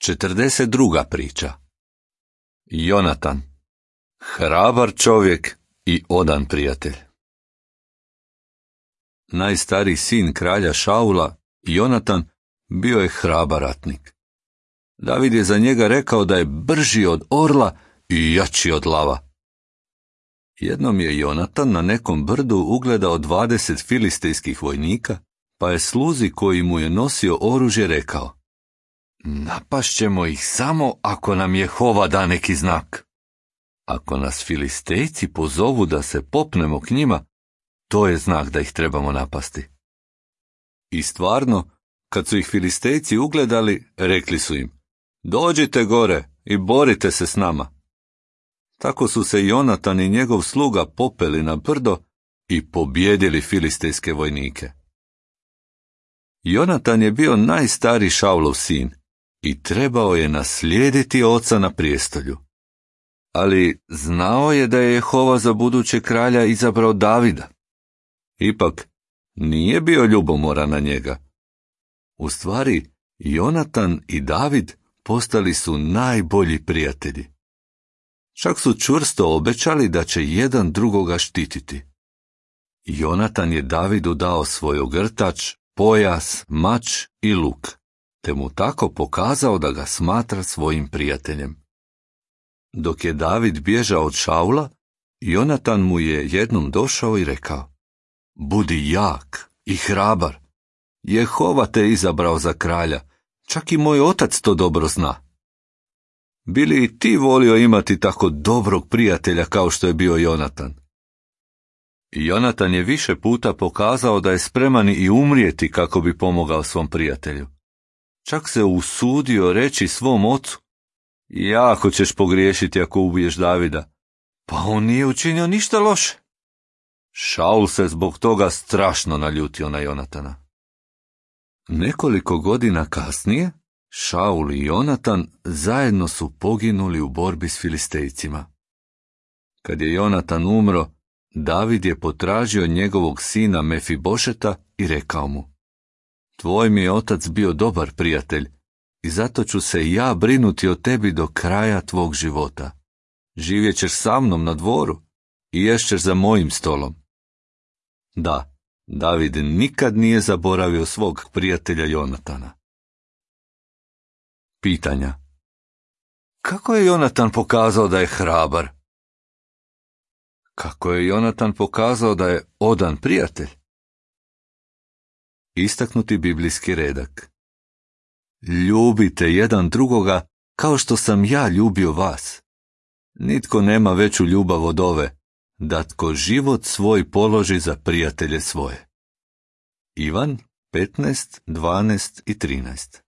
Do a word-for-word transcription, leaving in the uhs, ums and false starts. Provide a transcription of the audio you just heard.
četrdeset druga priča. Jonatan, hrabar čovjek i odan prijatelj. Najstariji sin kralja Šaula, Jonatan, bio je hrabar ratnik. David je za njega rekao da je brži od orla i jači od lava. Jednom je Jonatan na nekom brdu ugledao dvadeset filistejskih vojnika, pa je sluzi koji mu je nosio oružje rekao: napašćemo ih samo ako nam Jehova da neki znak. Ako nas Filistejci pozovu da se popnemo k njima, to je znak da ih trebamo napasti. I stvarno, kad su ih Filistejci ugledali, rekli su im: dođite gore i borite se s nama. Tako su se Jonatan i njegov sluga popeli na brdo i pobjedili filistejske vojnike. Jonatan je bio najstariji Šaulov sin i trebao je naslijediti oca na prijestolju. Ali znao je da je Jehova za buduće kralja izabrao Davida. Ipak, nije bio ljubomoran na njega. U stvari, Jonatan i David postali su najbolji prijatelji. Čak su čvrsto obećali da će jedan drugoga štititi. Jonatan je Davidu dao svoj ogrtač, pojas, mač i luk, te mu tako pokazao da ga smatra svojim prijateljem. Dok je David bježao od Šaula, Jonatan mu je jednom došao i rekao: budi jak i hrabar. Jehova te izabrao za kralja, čak i moj otac to dobro zna. Bi li i ti volio imati tako dobrog prijatelja kao što je bio Jonatan? Jonatan je više puta pokazao da je spreman i umrijeti kako bi pomogao svom prijatelju. Čak se usudio reći svom ocu: jako ćeš pogriješiti ako ubiješ Davida. Pa on nije učinio ništa loše. Šaul se zbog toga strašno naljutio na Jonatana. Nekoliko godina kasnije, Šaul i Jonatan zajedno su poginuli u borbi s Filistejcima. Kad je Jonatan umro, David je potražio njegovog sina Mefibošeta i rekao mu: tvoj mi je otac bio dobar prijatelj i zato ću se ja brinuti o tebi do kraja tvog života. Živjet ćeš sa mnom na dvoru i ješćeš za mojim stolom. Da, David nikad nije zaboravio svog prijatelja Jonatana. Pitanja. Kako je Jonatan pokazao da je hrabar? Kako je Jonatan pokazao da je odan prijatelj? Istaknuti biblijski redak. Ljubite jedan drugoga kao što sam ja ljubio vas. Nitko nema veću ljubav od ove, da tko život svoj položi za prijatelje svoje. Ivan petnaest, dvanaest i trinaest.